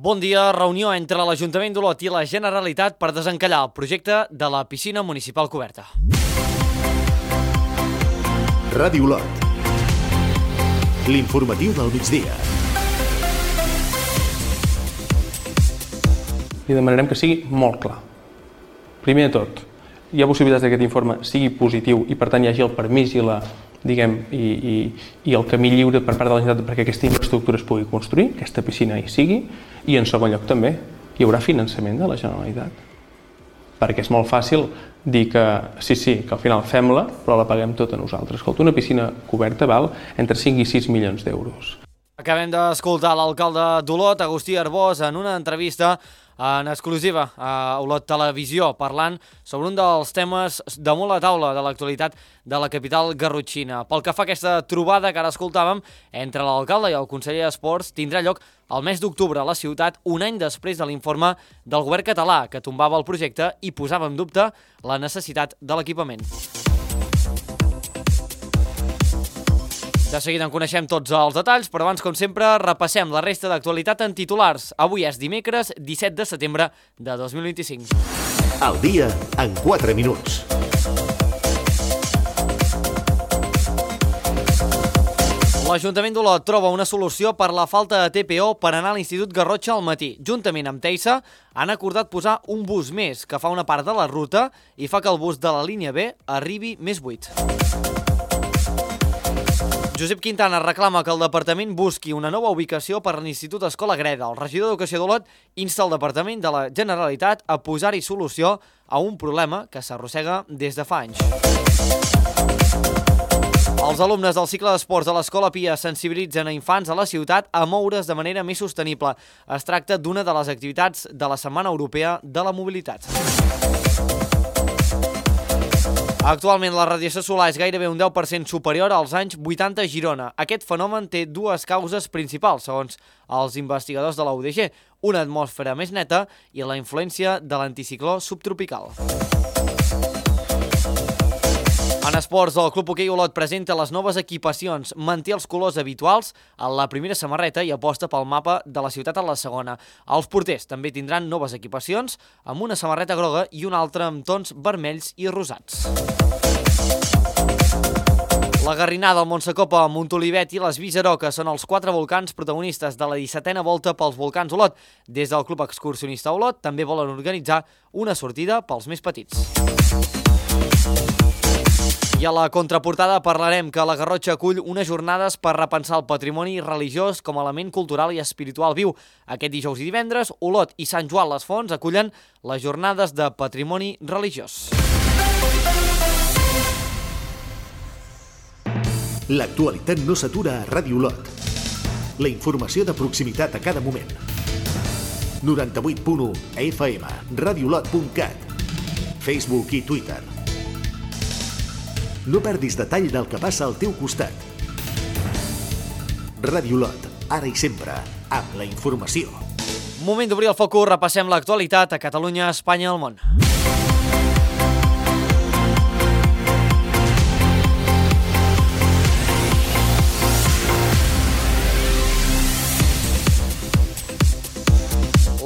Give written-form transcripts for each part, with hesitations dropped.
Bon dia, reunió entre l'Ajuntament d'Olot i la Generalitat per desencallar el projecte de la piscina municipal coberta. Ràdio Olot. L'informatiu del migdia. Li demanarem que sigui molt clar. Primer de tot, hi ha possibilitats que aquest informe sigui positiu i per tant hi hagi el permís i el camí lliure per part de la Generalitat perquè aquesta infraestructura es pugui construir, aquesta piscina hi sigui, i en segon lloc també hi haurà finançament de la Generalitat. Perquè és molt fàcil dir que sí, que al final fem-la, però la paguem tota nosaltres. Escolta, una piscina coberta val entre 5 i 6 milions d'euros. Acabem d'escoltar l'alcalde d'Olot, Agustí Arbós, en una entrevista en exclusiva a Olot Televisió, parlant sobre un dels temes damunt la taula de l'actualitat de la capital garrotxina. Pel que fa a aquesta trobada que ara escoltàvem entre l'alcalde i el conseller d'Esports, tindrà lloc el mes d'octubre a la ciutat, un any després de l'informe del govern català que tombava el projecte i posava en dubte la necessitat de l'equipament. De seguida en coneixem tots els detalls, però abans, com sempre, repassem la resta d'actualitat en titulars. Avui és dimecres 17 de setembre de 2025. El dia en 4 minuts. L'Ajuntament d'Olot troba una solució per la falta de TPO per anar a l'Institut Garrotxa al matí. Juntament amb Teisa han acordat posar un bus més que fa una part de la ruta i fa que el bus de la línia B arribi més buit. Josep Quintana reclama que el departament busqui una nova ubicació per a l'Institut Escola Greda. El regidor d'Educació d'Olot insta el departament de la Generalitat a posar-hi solució a un problema que s'arrossega des de fa anys. Els alumnes del cicle d'esports de l'Escola Pia sensibilitzen a infants a la ciutat a moure's de manera més sostenible. Es tracta d'una de les activitats de la Setmana Europea de la Mobilitat. Actualment la radiació solar és gairebé un 10% superior als anys 80 a Girona. Aquest fenomen té dues causes principals, segons els investigadors de la UDG, una atmosfera més neta i la influència de l'anticicló subtropical. En esports, el Club Hoquei Olot presenta les noves equipacions, manté els colors habituals en la primera samarreta i aposta pel mapa de la ciutat en la segona. Els porters també tindran noves equipacions amb una samarreta groga i una altra amb tons vermells i rosats. La Garrinada, el Montsecopa, Montolivet i les Viseroques són els 4 volcans protagonistes de la 17a volta pels volcans Olot. Des del Club Excursionista Olot també volen organitzar una sortida pels més petits. I a la contraportada parlarem que la Garrotxa acull unes jornades per repensar el patrimoni religiós com a element cultural i espiritual viu. Aquest dijous i divendres, Olot i Sant Joan les Fonts acullen les jornades de patrimoni religiós. L'actualitat no s'atura a Ràdio Olot. La informació de proximitat a cada moment. 98.1 FM, radioolot.cat, Facebook i Twitter. No perdis detall del que passa al teu costat. Ràdio Olot, ara i sempre, amb la informació. Moment d'obrir el focus, repassem l'actualitat a Catalunya, Espanya i el món.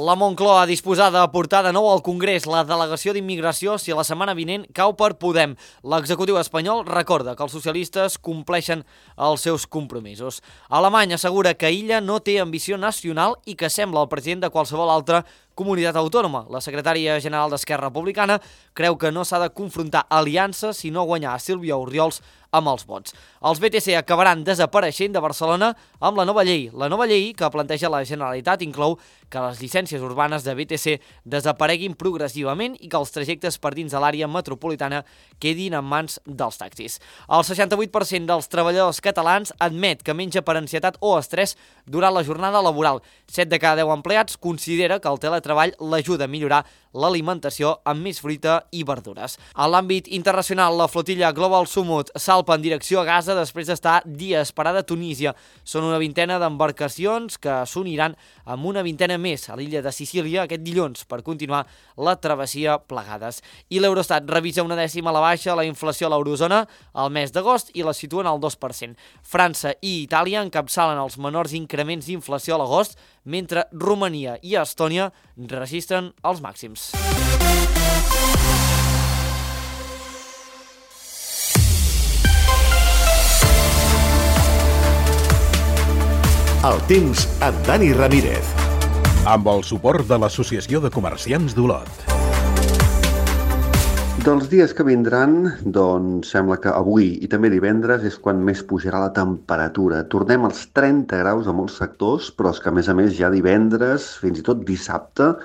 La Moncloa disposada a portar de nou al Congrés la delegació d'immigració si la setmana vinent cau per Podem. L'executiu espanyol recorda que els socialistes compleixen els seus compromisos. Alemanya assegura que illa no té ambició nacional i que sembla el president de qualsevol altra comunitat autònoma. La secretària general d'Esquerra Republicana creu que no s'ha de confrontar aliances sinó guanyar a Sílvia Orriols amb els vots. Els BTC acabaran desapareixent de Barcelona amb la nova llei. La nova llei que planteja la Generalitat inclou que les llicències urbanes de BTC desapareguin progressivament i que els trajectes per dins de l'àrea metropolitana quedin en mans dels taxis. El 68% dels treballadors catalans admet que menja per ansietat o estrès durant la jornada laboral. 7 de cada 10 empleats considera que el teletreball l'ajuda a millorar l'alimentació amb més fruita i verdures. A l'àmbit internacional, la flotilla Global Summit salpa en direcció a Gaza després d'estar dies parada a Tunísia. Són una vintena d'embarcacions que s'uniran amb una vintena més a l'illa de Sicília aquest dilluns per continuar la travessia plegades. I l'Eurostat revisa una dècima a la baixa la inflació a l'eurozona al mes d'agost i la situen al 2%. França i Itàlia encapçalen els menors increments d'inflació a l'agost, mentre Romania i Estònia registren els màxims. El temps amb Dani Ramírez. Amb el suport de l'Associació de Comerciants d'Olot. Dels dies que vindran, doncs sembla que avui i també divendres és quan més pujarà la temperatura. Tornem als 30 graus a molts sectors, però és que a més ja divendres, fins i tot dissabte,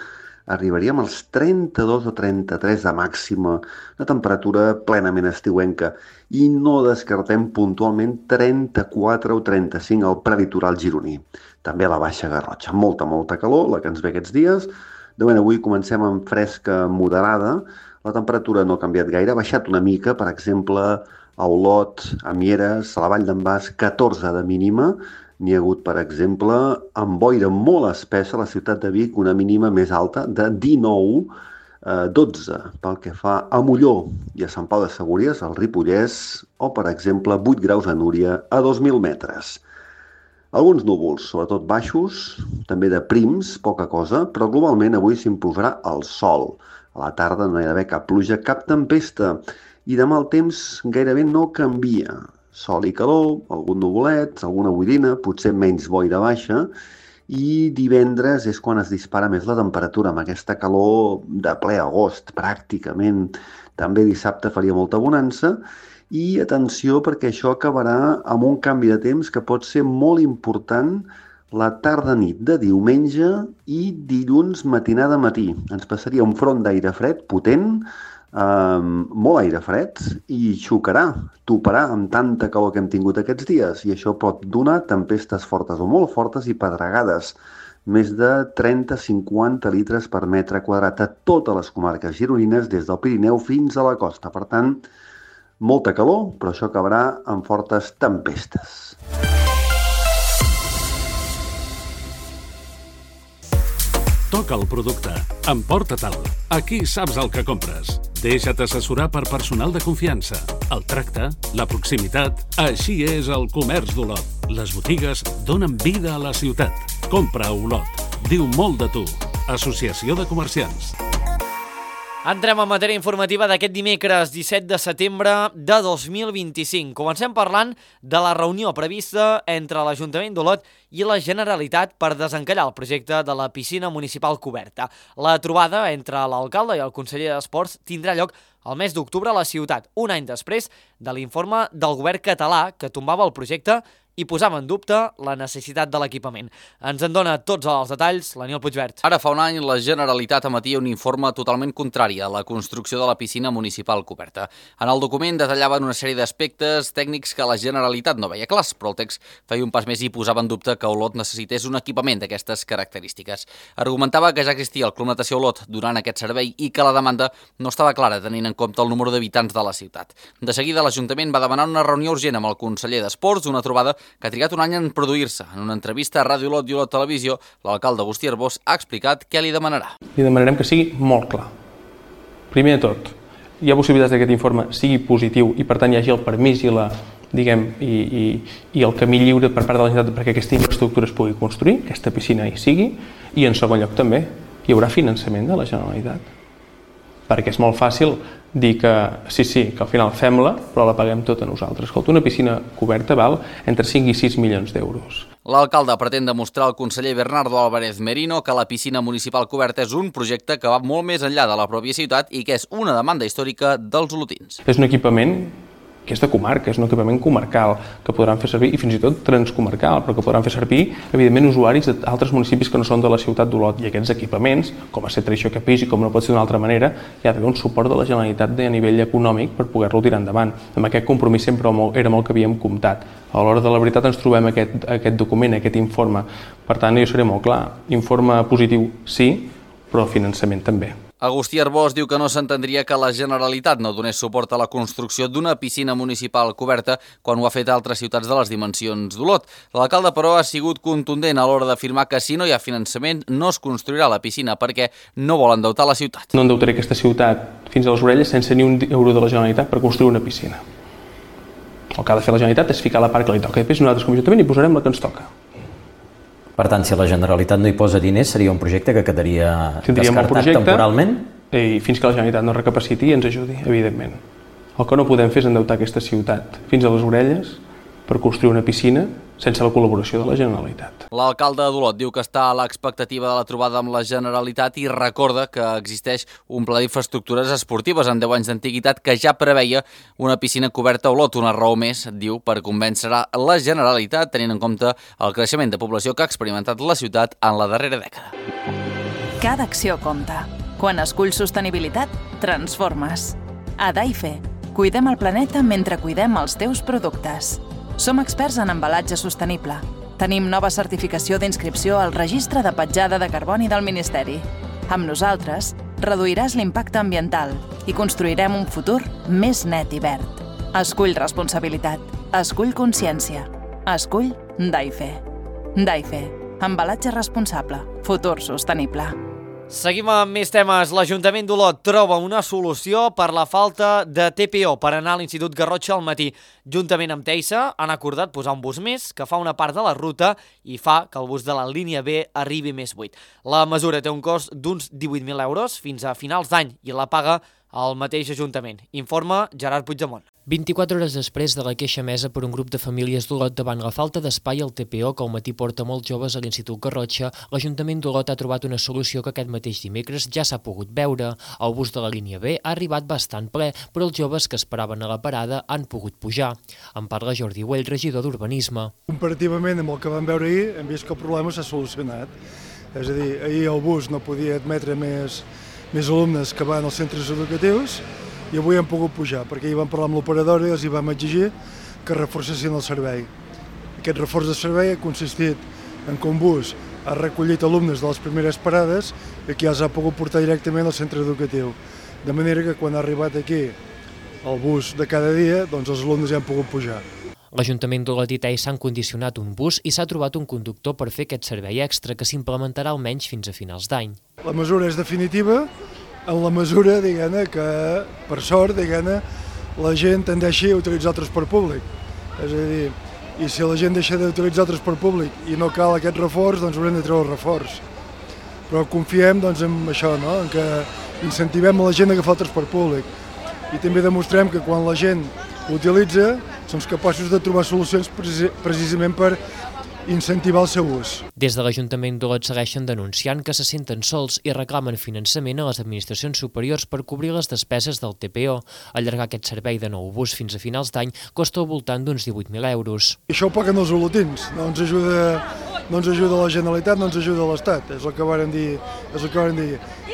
arribaríem als 32 o 33 de màxima, una temperatura plenament estiuenca, i no descartem puntualment 34 o 35 al prelitoral gironí. També a la Baixa Garrotxa, molta calor, la que ens ve aquests dies. De moment avui comencem amb fresca moderada, la temperatura no ha canviat gaire, ha baixat una mica, per exemple, a Olot, a Mieres, a la Vall d'en Bas, 14 de mínima. N'hi ha hagut, per exemple, amb boira molt espessa a la ciutat de Vic, una mínima més alta de 19, 12 pel que fa a Molló i a Sant Pau de Segúries, al Ripollès, o, per exemple, 8 graus a Núria, a 2.000 metres. Alguns núvols, sobretot baixos, també de prims, poca cosa, però globalment avui s'imposarà el sol. A la tarda no hi ha d'haver cap pluja, cap tempesta, i demà el temps gairebé no canvia. Sol i calor, algun nuvolet, alguna boirina, potser menys boira baixa, i divendres és quan es dispara més la temperatura, amb aquesta calor de ple agost, pràcticament. També dissabte faria molta bonança, i atenció perquè això acabarà amb un canvi de temps que pot ser molt important la tarda-nit de diumenge i dilluns matinada-matí. Ens passaria un front d'aire fred potent, molt aire fred, i xocarà, toparà amb tanta calor que hem tingut aquests dies, i això pot donar tempestes fortes o molt fortes i pedregades, més de 30-50 litres per metre quadrat a totes les comarques gironines des del Pirineu fins a la costa. Per tant, molta calor, però això acabarà amb fortes tempestes. Toca el producte. Emporta-te'l. Aquí saps el que compres. Deixa't assessorar per personal de confiança. El tracte, la proximitat... Així és el comerç d'Olot. Les botigues donen vida a la ciutat. Compra a Olot. Diu molt de tu. Associació de Comerciants. Entrem en matèria informativa d'aquest dimecres 17 de setembre de 2025. Comencem parlant de la reunió prevista entre l'Ajuntament d'Olot i la Generalitat per desencallar el projecte de la piscina municipal coberta. La trobada entre l'alcalde i el conseller d'Esports tindrà lloc el mes d'octubre a la ciutat, un any després de l'informe del govern català que tombava el projecte i posava en dubte la necessitat de l'equipament. Ens en dona tots els detalls l'Aniol Puigvert. Ara fa un any la Generalitat emetia un informe totalment contrari a la construcció de la piscina municipal coberta. En el document detallaven una sèrie d'aspectes tècnics que la Generalitat no veia clars, però el text feia un pas més i posava en dubte que Olot necessités un equipament d'aquestes característiques. Argumentava que ja existia el Club Natació Olot durant aquest servei i que la demanda no estava clara tenint en compte el número d'habitants de la ciutat. De seguida l'Ajuntament va demanar una reunió urgent amb el conseller d'Esports, una trobada que ha trigat un any en produir-se. En una entrevista a Ràdio Olot i Olot Televisió, l'alcalde Agustí Arbós ha explicat què li demanarà. Li demanarem que sigui molt clar. Primer de tot, hi ha possibilitats que aquest informe sigui positiu i per tant hi hagi el permís i el camí lliure per part de la Generalitat perquè aquesta infraestructura es pugui construir, aquesta piscina hi sigui, i en segon lloc també hi haurà finançament de la Generalitat. Perquè és molt fàcil dir que sí, que al final fem-la, però la paguem tota nosaltres. Escolta, una piscina coberta val entre 5 i 6 milions d'euros. L'alcalde pretén demostrar al conseller Bernardo Álvarez Merino que la piscina municipal coberta és un projecte que va molt més enllà de la pròpia ciutat i que és una demanda històrica dels olotins. És un equipament que és de comarca, és un equipament comarcal que podran fer servir, i fins i tot transcomarcal, però que podran fer servir, evidentment, usuaris d'altres municipis que no són de la ciutat d'Olot. I aquests equipaments, com a ser tradició que pis i com no pot ser d'una altra manera, hi ha d'haver un suport de la Generalitat a nivell econòmic per poder-lo tirar endavant. Amb aquest compromís sempre era molt que havíem comptat. A l'hora de la veritat ens trobem aquest document, aquest informe. Per tant, jo seré molt clar. Informe positiu, sí, però finançament també. Agustí Arbós diu que no s'entendria que la Generalitat no donés suport a la construcció d'una piscina municipal coberta quan ho ha fet a altres ciutats de les dimensions d'Olot. L'alcalde, però, ha sigut contundent a l'hora d'afirmar que si no hi ha finançament no es construirà la piscina perquè no vol endeutar la ciutat. No endeutaré aquesta ciutat fins a les orelles sense ni un euro de la Generalitat per construir una piscina. El que ha de fer la Generalitat és ficar la part que li toca. Després nosaltres com a Ajuntament hi posarem la que ens toca. Per tant, si la Generalitat no hi posa diners, seria un projecte que quedaria descartat temporalment? I fins que la Generalitat no recapaciti i ens ajudi, evidentment. El que no podem fer és endeutar aquesta ciutat fins a les orelles per construir una piscina sense la col·laboració de la Generalitat. L'alcalde d'Olot diu que està a l'expectativa de la trobada amb la Generalitat i recorda que existeix un pla d'infraestructures esportives amb 10 anys d'antiguitat que ja preveia una piscina coberta a Olot, una raó més, diu, per convèncer la Generalitat, tenint en compte el creixement de població que ha experimentat la ciutat en la darrera dècada. Cada acció compta. Quan esculls sostenibilitat, transformes. A Daife, cuidem el planeta mentre cuidem els teus productes. Som experts en embalatge sostenible. Tenim nova certificació d'inscripció al Registre de Petjada de Carboni del Ministeri. Amb nosaltres, reduiràs l'impacte ambiental i construirem un futur més net i verd. Escull responsabilitat. Escull consciència. Escull Daife. Daife. Embalatge responsable. Futur sostenible. Seguim amb més temes. L'Ajuntament d'Olot troba una solució per la falta de TPO per anar a l'Institut Garrotxa al matí. Juntament amb Teisa han acordat posar un bus més que fa una part de la ruta i fa que el bus de la línia B arribi més buit. La mesura té un cost d'uns 18.000 euros fins a finals d'any i la paga el mateix Ajuntament. Informa Gerard Puigdemont. 24 hores després de la queixa emesa per un grup de famílies d'Olot davant la falta d'espai al TPO que al matí porta molts joves a l'Institut Garrotxa, l'Ajuntament d'Olot ha trobat una solució que aquest mateix dimecres ja s'ha pogut veure. El bus de la línia B ha arribat bastant ple, però els joves que esperaven a la parada han pogut pujar. En parla Jordi Güell, regidor d'Urbanisme. Comparativament amb el que vam veure ahir, hem vist que el problema s'ha solucionat. És a dir, ahir el bus no podia admetre més alumnes que van als centres educatius i avui hem pogut pujar, perquè hi vam parlar amb l'operadora i els hi vam exigir que reforcessin el servei. Aquest reforç de servei ha consistit en que un bus ha recollit alumnes de les primeres parades i que ja els ha pogut portar directament al centre educatiu. De manera que quan ha arribat aquí el bus de cada dia, doncs els alumnes ja han pogut pujar. L'Ajuntament d'Olot i Teis s'han condicionat un bus i s'ha trobat un conductor per fer aquest servei extra que s'implementarà almenys fins a finals d'any. La mesura és definitiva en la mesura, diguem-ne, que per sort, diguem-ne, la gent tendeixi a utilitzar el transport públic. És a dir, i si la gent deixa d'utilitzar el transport públic i no cal aquest reforç, doncs haurem de treure el reforç. Però confiem doncs, en això, no? En que incentivem a la gent a agafar el transport públic. I també demostrem que quan la gent l'utilitza, som capaços de trobar solucions precisament per incentivar el seu ús. Des de l'Ajuntament d'Olot segueixen denunciant que se senten sols i reclamen finançament a les administracions superiors per cobrir les despeses del TPO. Allargar aquest servei de nou bus fins a finals d'any costa al voltant d'uns 18.000 euros. Això ho paguen els olotins, no ens ajuda la Generalitat, no ens ajuda l'Estat, és el que varen dir.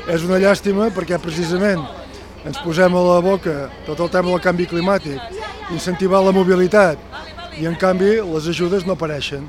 És una llàstima perquè precisament ens posem a la boca tot el tema del canvi climàtic, incentivar la mobilitat i en canvi les ajudes no apareixen.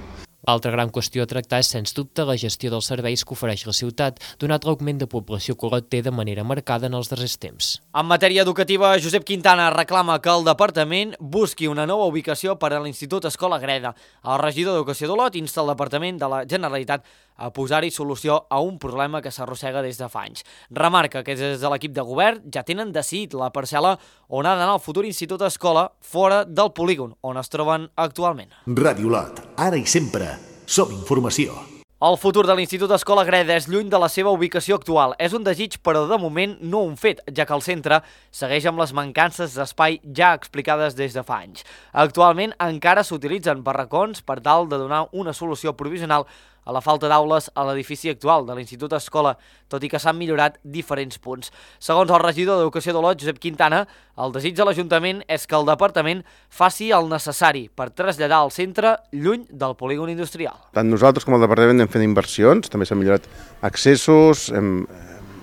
L'altra gran qüestió a tractar és, sens dubte, la gestió dels serveis que ofereix la ciutat, donat l'augment de població que Olot té de manera marcada en els darrers temps. En matèria educativa, Josep Quintana reclama que el departament busqui una nova ubicació per a l'Institut Escola Greda. El regidor d'Educació d'Olot insta el Departament de la Generalitat a posar-hi solució a un problema que s'arrossega des de fa anys. Remarca que des de l'equip de govern ja tenen decidit la parcel·la on ha d'anar el futur Institut Escola fora del polígon on es troben actualment. Ràdio Olot, ara i sempre, som informació. El futur de l'Institut Escola Greda és lluny de la seva ubicació actual. És un desig, però de moment no un fet, ja que el centre segueix amb les mancances d'espai ja explicades des de fa anys. Actualment encara s'utilitzen barracons per tal de donar una solució provisional a la falta d'aules a l'edifici actual de l'Institut Escola, tot i que s'han millorat diferents punts. Segons el regidor d'Educació d'Olot, Josep Quintana, el desig de l'Ajuntament és que el departament faci el necessari per traslladar el centre lluny del polígon industrial. Tant nosaltres com el departament hem fet inversions, també s'han millorat accessos, hem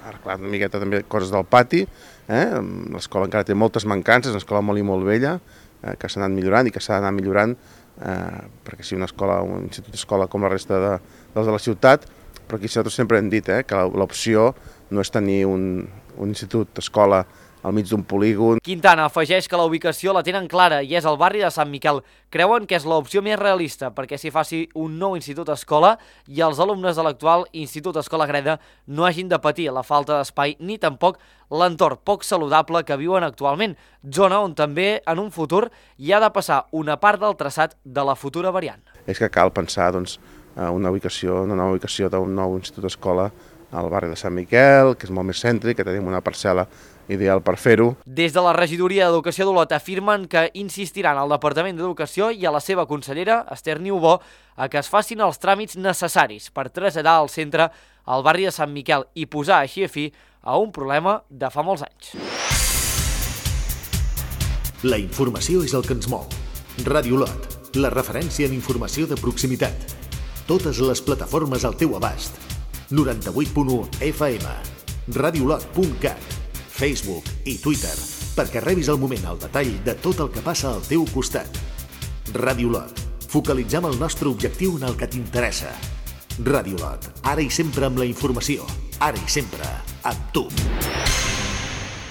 arreglat una miqueta també coses del pati, l'escola encara té moltes mancances, una escola molt i molt vella, que s'ha anat millorant i que s'ha d'anar millorant, perquè si un institut d'escola com la resta dels de la ciutat, però aquí nosaltres sempre hem dit que l'opció no és tenir un institut d'escola al mig d'un polígon. Quintana afegeix que la ubicació la tenen clara i és el barri de Sant Miquel. Creuen que és l'opció més realista perquè s'hi faci un nou institut escola i els alumnes de l'actual Institut Escola Greda no hagin de patir la falta d'espai ni tampoc l'entorn poc saludable que viuen actualment, zona on també en un futur hi ha de passar una part del traçat de la futura variant. És que cal pensar una nova ubicació d'un nou institut-escola al barri de Sant Miquel, que és molt més cèntric, que tenim una parcel·la ideal per fer-ho. Des de la regidoria d'Educació d'Olot afirmen que insistiran al Departament d'Educació i a la seva consellera, Esther Niubó, a que es facin els tràmits necessaris per traslladar el centre al barri de Sant Miquel i posar així a fi a un problema de fa molts anys. La informació és el que ens mou. Ràdio Olot, la referència en informació de proximitat. Totes les plataformes al teu abast. 98.1 FM, radiolot.cat, Facebook i Twitter, perquè rebis al moment el detall de tot el que passa al teu costat. Ràdio Olot, focalitzem el nostre objectiu en el que t'interessa. Ràdio Olot, ara i sempre amb la informació, ara i sempre amb tu.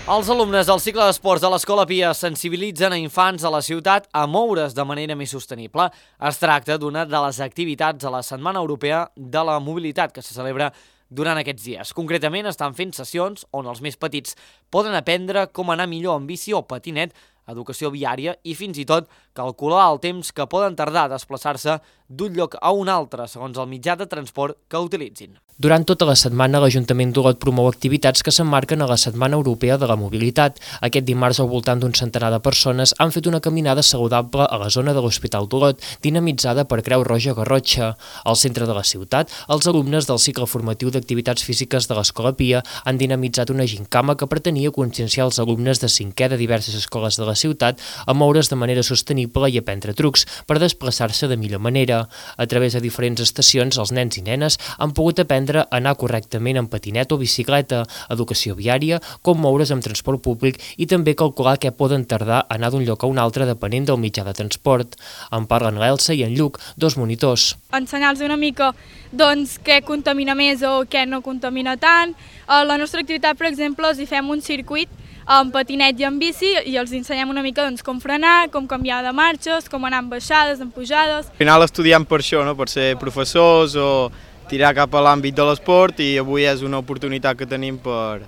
Els alumnes del cicle d'esports de l'Escola Pia sensibilitzen a infants de la ciutat a moure's de manera més sostenible. Es tracta d'una de les activitats de la Setmana Europea de la Mobilitat que se celebra durant aquests dies. Concretament estan fent sessions on els més petits poden aprendre com anar millor en bici o patinet, educació viària i fins i tot calcular el temps que poden tardar a desplaçar-se d'un lloc a un altre segons el mitjà de transport que utilitzin. Durant tota la setmana, l'Ajuntament d'Olot promou activitats que s'emmarquen a la Setmana Europea de la Mobilitat. Aquest dimarts, al voltant d'un centenar de persones han fet una caminada saludable a la zona de l'Hospital d'Olot, dinamitzada per Creu Roja Garrotxa. Al centre de la ciutat, els alumnes del cicle formatiu d'activitats físiques de l'Escola Pia han dinamitzat una gincama que pretenia conscienciar els alumnes de 5è de diverses escoles de la ciutat a moure's de manera sostenible i aprendre trucs per desplaçar-se de millor manera. A través de diferents estacions, els nens i nenes han pogut aprendre a anar correctament en patinet o bicicleta, educació viària, com moure's amb transport públic i també calcular què poden tardar a anar d'un lloc a un altre depenent del mitjà de transport. En parlen l'Elsa i en Lluc, dos monitors. Ensenyar-los una mica què contamina més o què no contamina tant. A la nostra activitat, per exemple, els hi fem un circuit en patinet i en bici i els ensenyem una mica com frenar, com canviar de marxes, com anar en baixades, en pujades. Al final estudiem per això, per ser professors o tirar cap a l'àmbit de l'esport i avui és una oportunitat que tenim per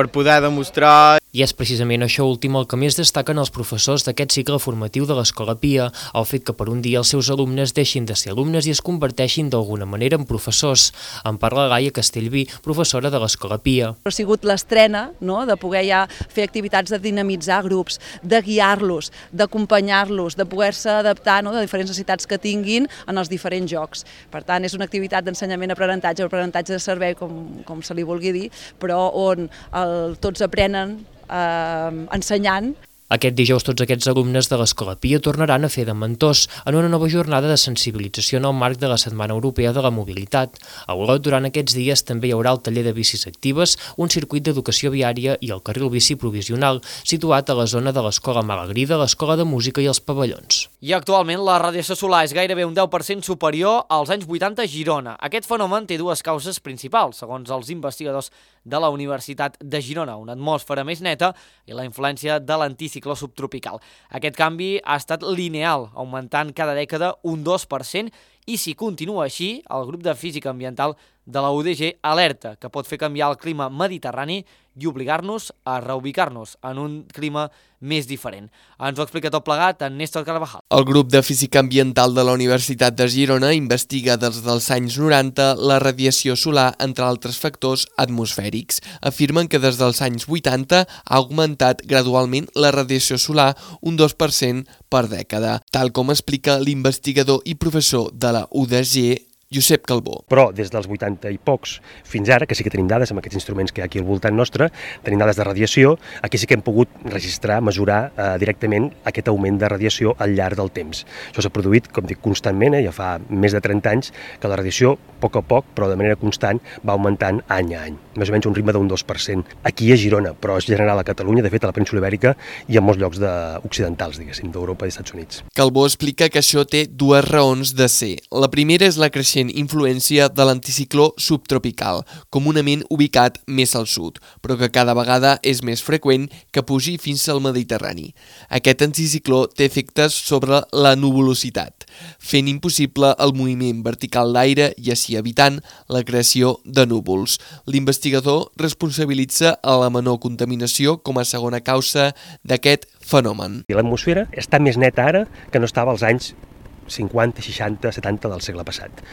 poder demostrar. I és precisament això últim el que més destaquen els professors d'aquest cicle formatiu de l'Escola Pia, el fet que per un dia els seus alumnes deixin de ser alumnes i es converteixin d'alguna manera en professors. En parla Gaia Castellví, professora de l'Escola Pia. Ha sigut l'estrena de poder ja fer activitats de dinamitzar grups, de guiar-los, d'acompanyar-los, de poder-se adaptar de diferents necessitats que tinguin en els diferents jocs. Per tant, és una activitat d'ensenyament-aprenentatge, aprenentatge de servei, com se li vulgui dir, però on tots aprenen ensenyant. Aquest dijous tots aquests alumnes de l'Escola Pia tornaran a fer de mentors en una nova jornada de sensibilització en el marc de la Setmana Europea de la Mobilitat. A Olot, durant aquests dies, també hi haurà el taller de bicis actives, un circuit d'educació viària i el carril bici provisional, situat a la zona de l'Escola Malagrida, l'Escola de Música i els pavellons. I actualment la radiació solar és gairebé un 10% superior als anys 80 a Girona. Aquest fenomen té dues causes principals, segons els investigadors de la Universitat de Girona, una atmosfera més neta i la influència de l'anticicló subtropical. Aquest canvi ha estat lineal, augmentant cada dècada un 2%, i si continua així, el grup de física ambiental de la UDG alerta que pot fer canviar el clima mediterrani i obligar-nos a reubicar-nos en un clima més diferent. Ens ho explica tot plegat en Néstor Carvajal. El grup de física ambiental de la Universitat de Girona investiga des dels anys 90 la radiació solar, entre altres factors atmosfèrics. Afirmen que des dels anys 80 ha augmentat gradualment la radiació solar un 2% per dècada, tal com explica l'investigador i professor de la UDG, Josep Calbó. Però des dels 80 i pocs fins ara, que sí que tenim dades amb aquests instruments que hi ha aquí al voltant nostre, tenim dades de radiació, aquí sí que hem pogut registrar, mesurar directament aquest augment de radiació al llarg del temps. Això s'ha produït, com dic, constantment, ja fa més de 30 anys, que la radiació, a poc, però de manera constant, va augmentant any a any, més o menys un ritme d'un 2%. Aquí a Girona, però és general a Catalunya, de fet a la península Ibèrica i en molts llocs occidentals, diguéssim, d'Europa i Estats Units. Calbó explica que això té dues raons de ser. La primera és la creixent influència de l'anticicló subtropical, comunament ubicat més al sud, però que cada vegada és més freqüent que pugi fins al Mediterrani. Aquest anticicló té efectes sobre la nuvolositat, fent impossible el moviment vertical d'aire i així evitant la creació de núvols. L'investigador responsabilitza a la menor contaminació com a segona causa d'aquest fenomen. L'atmosfera està més neta ara que no estava als anys 50, 60, 70 del segle passat.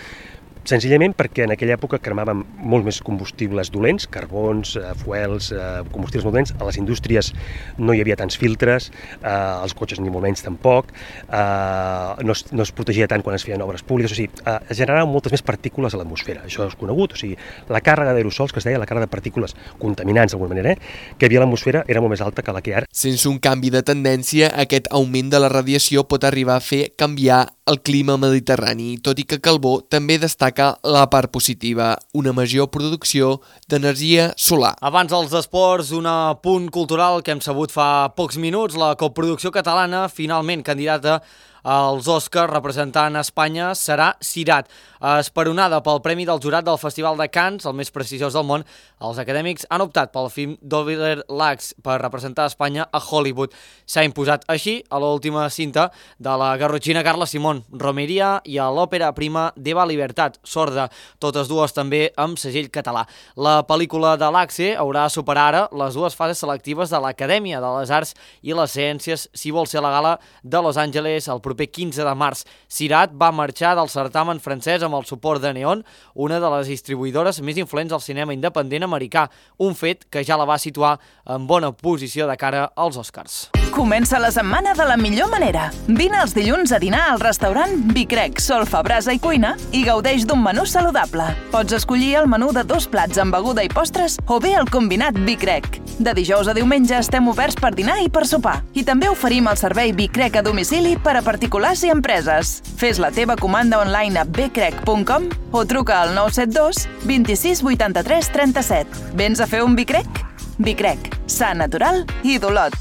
Senzillament perquè en aquella època cremàvem molt més combustibles dolents, carbons, fuels, combustibles molt dolents. A les indústries no hi havia tants filtres, als cotxes ni molt menys tampoc, no es protegia tant quan es feien obres públiques, o sigui, es generaven moltes més partícules a l'atmosfera, això és conegut, o sigui, la càrrega d'aerosols, que es deia la càrrega de partícules contaminants d'alguna manera, que hi havia a l'atmosfera era molt més alta que la que hi ha ara. Sense un canvi de tendència, aquest augment de la radiació pot arribar a fer canviar el clima mediterrani, tot i que Calbó també destaca la part positiva, una major producció d'energia solar. Abans dels esports, un apunt cultural que hem sabut fa pocs minuts. La coproducció catalana, finalment candidata als Oscars representant Espanya, serà Sirat. Esperonada pel Premi del Jurat del Festival de Cannes, el més prestigiós del món, els acadèmics han optat pel film d'Oliver Lacks per representar Espanya a Hollywood. S'ha imposat així a l'última cinta de la garrotxina Carla Simón, Romeria, i a l'òpera prima d'Eva Libertat, sorda, totes dues també amb segell català. La pel·lícula de Lacks haurà de superar ara les dues fases selectives de l'Acadèmia de les Arts i les Ciències si vol ser a la gala de Los Angeles el proper 15 de març. Sirat va marxar del certamen francès amb el suport de Neon, una de les distribuïdores més influents del cinema independent americà, un fet que ja la va situar en bona posició de cara als Oscars. Comença la setmana de la millor manera. Vine els dilluns a dinar al restaurant Bicrec, Solfa, Brasa i Cuina i gaudeix d'un menú saludable. Pots escollir el menú de 2 plats amb beguda i postres o bé el combinat Bicrec. De dijous a diumenge estem oberts per dinar i per sopar. I també oferim el servei Bicrec a domicili per a particulars i empreses. Fes la teva comanda online a bcrec.com o truca al 972 26 83 37. Vens a fer un Bicrec? Bicrec, sa, natural i d'Olot.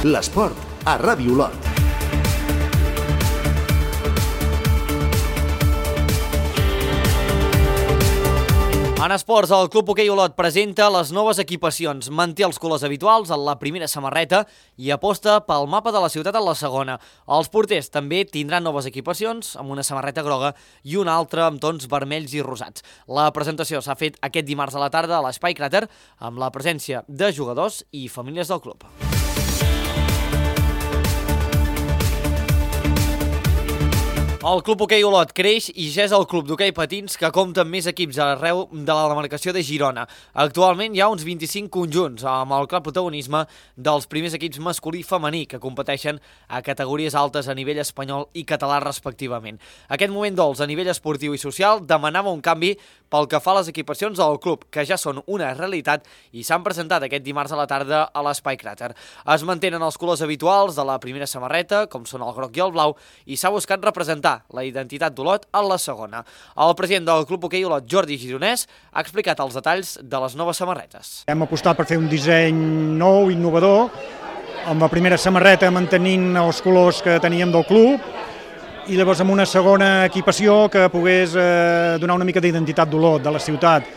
L'esport a Ràdio Olot. En esports, el Club Hoquei Olot presenta les noves equipacions, manté els colors habituals en la primera samarreta i aposta pel mapa de la ciutat en la segona. Els porters també tindran noves equipacions, amb una samarreta groga i una altra amb tons vermells i rosats. La presentació s'ha fet aquest dimarts a la tarda a l'Espai Cràter, amb la presència de jugadors i famílies del club. El Club Hoquei Olot creix i ja és el club d'hoquei patins que compta amb més equips arreu de la demarcació de Girona. Actualment hi ha uns 25 conjunts, amb el clar protagonisme dels primers equips masculí i femení que competeixen a categories altes a nivell espanyol i català respectivament. Aquest moment dolç a nivell esportiu i social demanava un canvi pel que fa a les equipacions del club, que ja són una realitat i s'han presentat aquest dimarts a la tarda a l'Espai Cràter. Es mantenen els colors habituals de la primera samarreta, com són el groc i el blau, i s'ha buscat representar la identitat d'Olot en la segona. El president del Club Hoquei Olot, Jordi Gironès, ha explicat els detalls de les noves samarretes. Hem apostat per fer un disseny nou, innovador, amb la primera samarreta mantenint els colors que teníem del club, i llavors amb una segona equipació que pogués donar una mica d'identitat d'Olot, de la ciutat.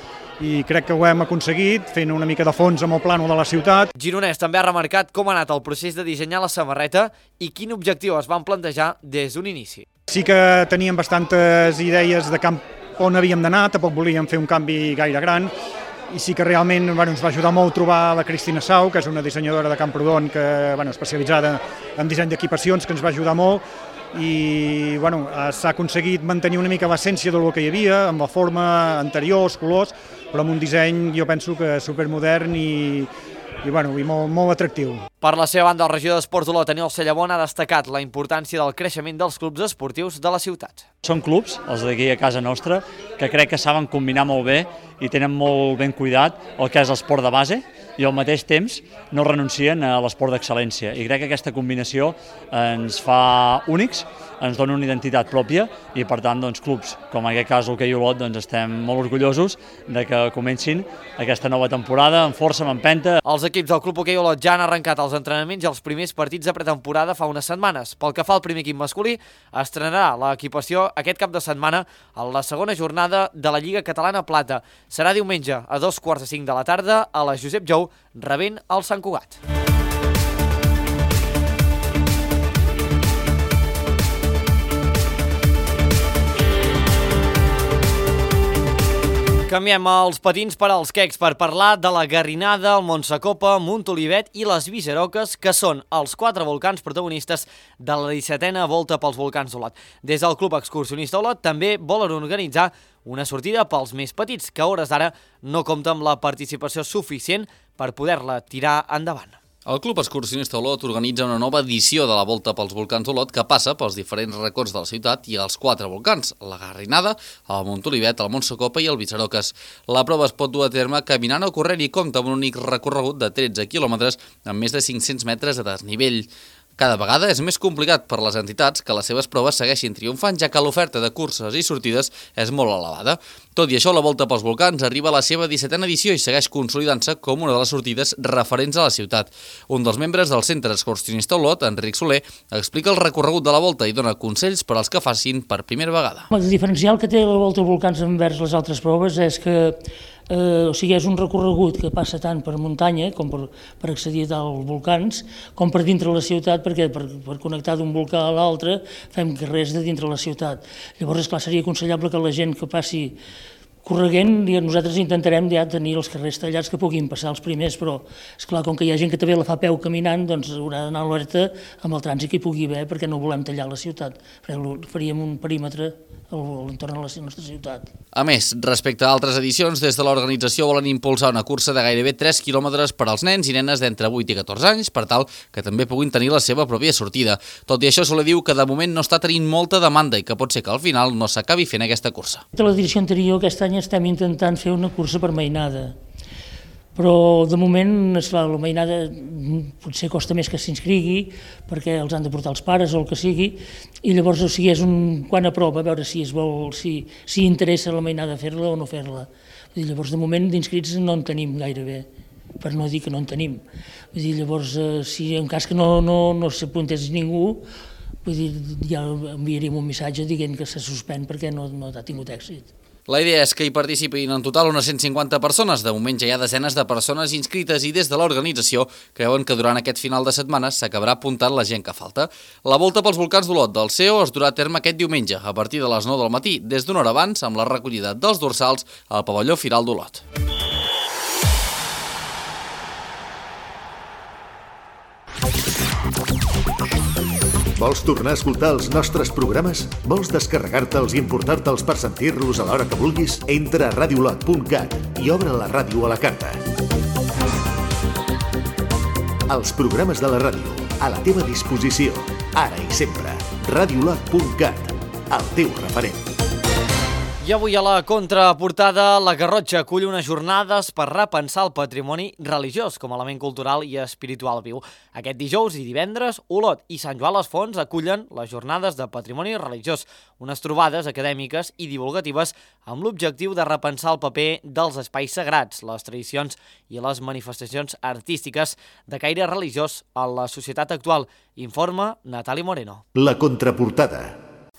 I crec que ho hem aconseguit, fent una mica de fons amb el plànol de la ciutat. Gironès també ha remarcat com ha anat el procés de dissenyar la samarreta i quin objectiu es van plantejar des d'un inici. Sí que teníem bastantes idees de camp on havíem d'anar, tampoc volíem fer un canvi gaire gran, i sí que realment ens va ajudar molt trobar la Cristina Sau, que és una dissenyadora de Camprodon especialitzada en disseny d'equipacions, que ens va ajudar molt, i s'ha aconseguit mantenir una mica l'essència del que hi havia, amb la forma anterior, els colors, però amb un disseny jo penso que supermodern i molt atractiu. Per la seva banda, el regidor d'Esports d'Olot, Aniol Cellabon, ha destacat la importància del creixement dels clubs esportius de la ciutat. Són clubs, els d'aquí a casa nostra, que crec que saben combinar molt bé i tenen molt ben cuidat el que és l'esport de base i al mateix temps no renuncien a l'esport d'excel·lència. I crec que aquesta combinació ens fa únics, ens dona una identitat pròpia i per tant clubs com en aquest cas l'Hoquei Olot estem molt orgullosos de que comencin aquesta nova temporada amb força, amb empenta. Els equips del Club Hoquei Olot ja han arrencat els entrenaments i els primers partits de pretemporada fa unes setmanes. Pel que fa al primer equip masculí, estrenarà l'equipació aquest cap de setmana en la segona jornada de la Lliga Catalana Plata. Serà diumenge a 2:45 de la tarda a la Josep Jou, rebent el Sant Cugat. Canviem els patins per als quecs per parlar de la Garrinada, el Montsacopa, Montolivet i les Viceroques, que són els 4 volcans protagonistes de la 17a volta pels volcans d'Olot. Des del Club Excursionista Olot també volen organitzar una sortida pels més petits, que a hores d'ara no compta amb la participació suficient per poder-la tirar endavant. El Club Excursionista Olot organitza una nova edició de la Volta pels Volcans d'Olot que passa pels diferents racons de la ciutat i els 4 volcans, la Garrinada, el Montolivet, el Montsacopa i el Viceroques. La prova es pot dur a terme caminant o corrent i compta amb un únic recorregut de 13 quilòmetres amb més de 500 metres de desnivell. Cada vegada és més complicat per les entitats que les seves proves segueixin triomfant, ja que l'oferta de curses i sortides és molt elevada. Tot i això, la Volta pels Volcans arriba a la seva 17a edició i segueix consolidant-se com una de les sortides referents a la ciutat. Un dels membres del Centre Excursionista Olot, Enric Soler, explica el recorregut de la Volta i dona consells per als que facin per primera vegada. El diferencial que té la Volta als Volcans envers les altres proves és que és un recorregut que passa tant per muntanya com per accedir als volcans com per dintre la ciutat, perquè per connectar d'un volcà a l'altre fem carrers de dintre la ciutat. Llavors, esclar, seria aconsellable que la gent que passi correguent, nosaltres intentarem ja tenir els carrers tallats que puguin passar els primers, però esclar, com que hi ha gent que també la fa a peu caminant, doncs haurà d'anar alerta amb el trànsit que hi pugui haver, perquè no volem tallar la ciutat, faríem un perímetre a l'entorn de la nostra ciutat. A més, respecte a altres edicions, des de l'organització volen impulsar una cursa de gairebé 3 quilòmetres per als nens i nenes d'entre 8 i 14 anys, per tal que també puguin tenir la seva pròpia sortida. Tot i això, Soler diu que de moment no està tenint molta demanda i que pot ser que al final no s'acabi fent aquesta cursa. De l'edició anterior, aquest any estem intentant fer una cursa per mainada, però de moment, esclar, la mainada potser costa més que s'inscrigui perquè els han de portar els pares o el que sigui, i llavors, o sigui, és un quant a prova, a veure si es vol, si interessa la mainada fer-la o no fer-la. Llavors, de moment, d'inscrits no en tenim gairebé, per no dir que no en tenim. Llavors, si en cas que no s'apuntés ningú, ja enviaríem un missatge dient que se suspèn perquè no ha tingut èxit. La idea és que hi participin en total unes 150 persones. De moment ja hi ha desenes de persones inscrites i des de l'organització creuen que durant aquest final de setmana s'acabarà apuntant la gent que falta. La Volta pels Volcans d'Olot del CEO es durà a terme aquest diumenge a partir de les 9 del matí, des d'una hora abans, amb la recollida dels dorsals al pavelló Firal d'Olot. Vols tornar a escoltar els nostres programes? Vols descarregar-te'ls i importar-te'ls per sentir-los a l'hora que vulguis? Entra a radiolot.cat i obre la ràdio a la carta. Els programes de la ràdio, a la teva disposició, ara i sempre. Radiolot.cat, el teu referent. I avui a la contraportada, la Garrotxa acull unes jornades per repensar el patrimoni religiós com a element cultural i espiritual viu. Aquest dijous i divendres, Olot i Sant Joan les Fonts acullen les jornades de patrimoni religiós, unes trobades acadèmiques i divulgatives amb l'objectiu de repensar el paper dels espais sagrats, les tradicions i les manifestacions artístiques de caire religiós a la societat actual. Informa Natàlia Moreno. La contraportada.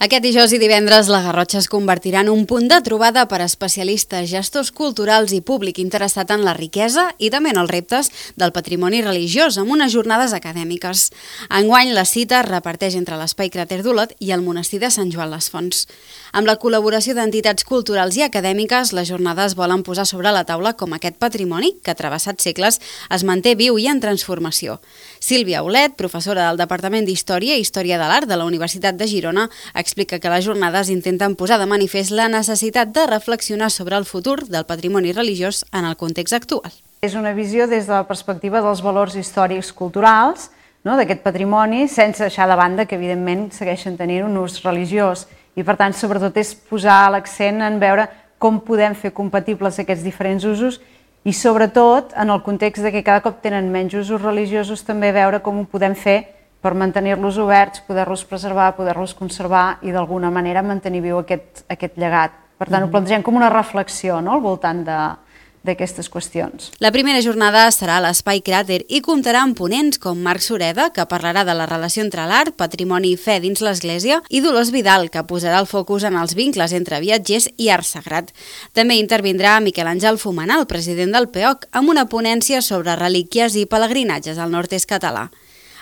Aquest dijous i divendres la Garrotxa es convertirà en un punt de trobada per a especialistes, gestors culturals i públic interessat en la riquesa i també en els reptes del patrimoni religiós amb unes jornades acadèmiques. Enguany la cita es reparteix entre l'Espai Cràter d'Olot i el monestir de Sant Joan les Fonts. Amb la col·laboració d'entitats culturals i acadèmiques, les jornades volen posar sobre la taula com aquest patrimoni, que travessat segles es manté viu i en transformació. Sílvia Olet, professora del Departament d'Història i Història de l'Art de la Universitat de Girona, explica que les jornades intenten posar de manifest la necessitat de reflexionar sobre el futur del patrimoni religiós en el context actual. És una visió des de la perspectiva dels valors històrics culturals, d'aquest patrimoni, sense deixar de banda que evidentment segueixen tenint un ús religiós. I per tant, sobretot, és posar l'accent en veure com podem fer compatibles aquests diferents usos i sobretot, en el context de que cada cop tenen menys usos religiosos, també veure com ho podem fer per mantenir-los oberts, poder-los preservar, poder-los conservar i d'alguna manera mantenir viu aquest llegat. Per tant, ho plantegem com una reflexió al voltant d'aquestes qüestions. La primera jornada serà a l'Espai Cràter i comptarà amb ponents com Marc Sureda, que parlarà de la relació entre l'art, patrimoni i fe dins l'Església, i Dolors Vidal, que posarà el focus en els vincles entre viatgers i art sagrat. També intervindrà Miquel Àngel Fumanal, president del PEOC, amb una ponència sobre relíquies i pelegrinatges al nord-est català.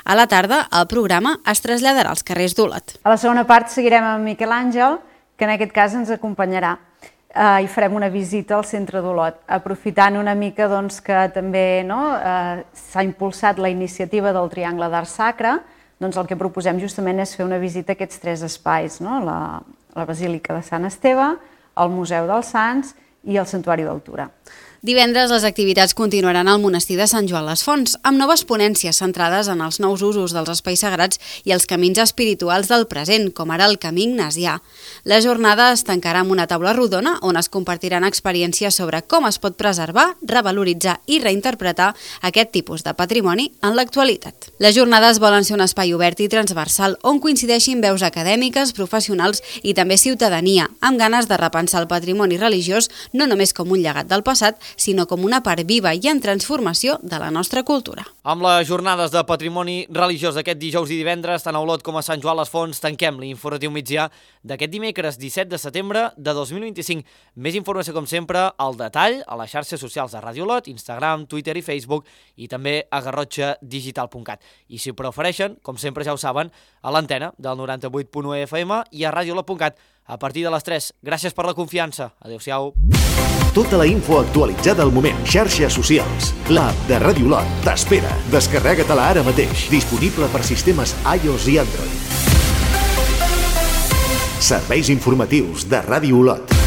A la tarda, el programa es traslladarà als carrers d'Olot. A la segona part seguirem amb Miquel Àngel, que en aquest cas ens acompanyarà. i farem una visita al centre d'Olot, aprofitant una mica que també s'ha impulsat la iniciativa del Triangle d'Art Sacre. El que proposem justament és fer una visita a aquests 3 espais, la Basílica de Sant Esteve, el Museu dels Sants i el Santuari del Tura. Divendres les activitats continuaran al monestir de Sant Joan les Fonts, amb noves ponències centrades en els nous usos dels espais sagrats i els camins espirituals del present, com ara el camí ignasià. La jornada es tancarà amb una taula rodona on es compartiran experiències sobre com es pot preservar, revaloritzar i reinterpretar aquest tipus de patrimoni en l'actualitat. Les jornades volen ser un espai obert i transversal on coincideixin veus acadèmiques, professionals i també ciutadania, amb ganes de repensar el patrimoni religiós no només com un llegat del passat, sinó com una part viva i en transformació de la nostra cultura. Amb les jornades de patrimoni religiós d'aquest dijous i divendres, tant a Olot com a Sant Joan les Fonts, tanquem l'informatiu migdià d'aquest dimecres 17 de setembre de 2025. Més informació, com sempre, al detall a les xarxes socials de Ràdio Olot, Instagram, Twitter i Facebook, i també a garrotxadigital.cat. I si ho prefereixen, com sempre ja ho saben, a l'antena del 98.1 FM i a radiolot.cat a partir de les 3. Gràcies per la confiança. Adéu-siau. Tota la info actualitzada al moment. Xarxes socials. L'app de Ràdio Olot t'espera. Descarrega-te-la ara mateix. Disponible per sistemes iOS i Android. Serveis informatius de Ràdio Olot.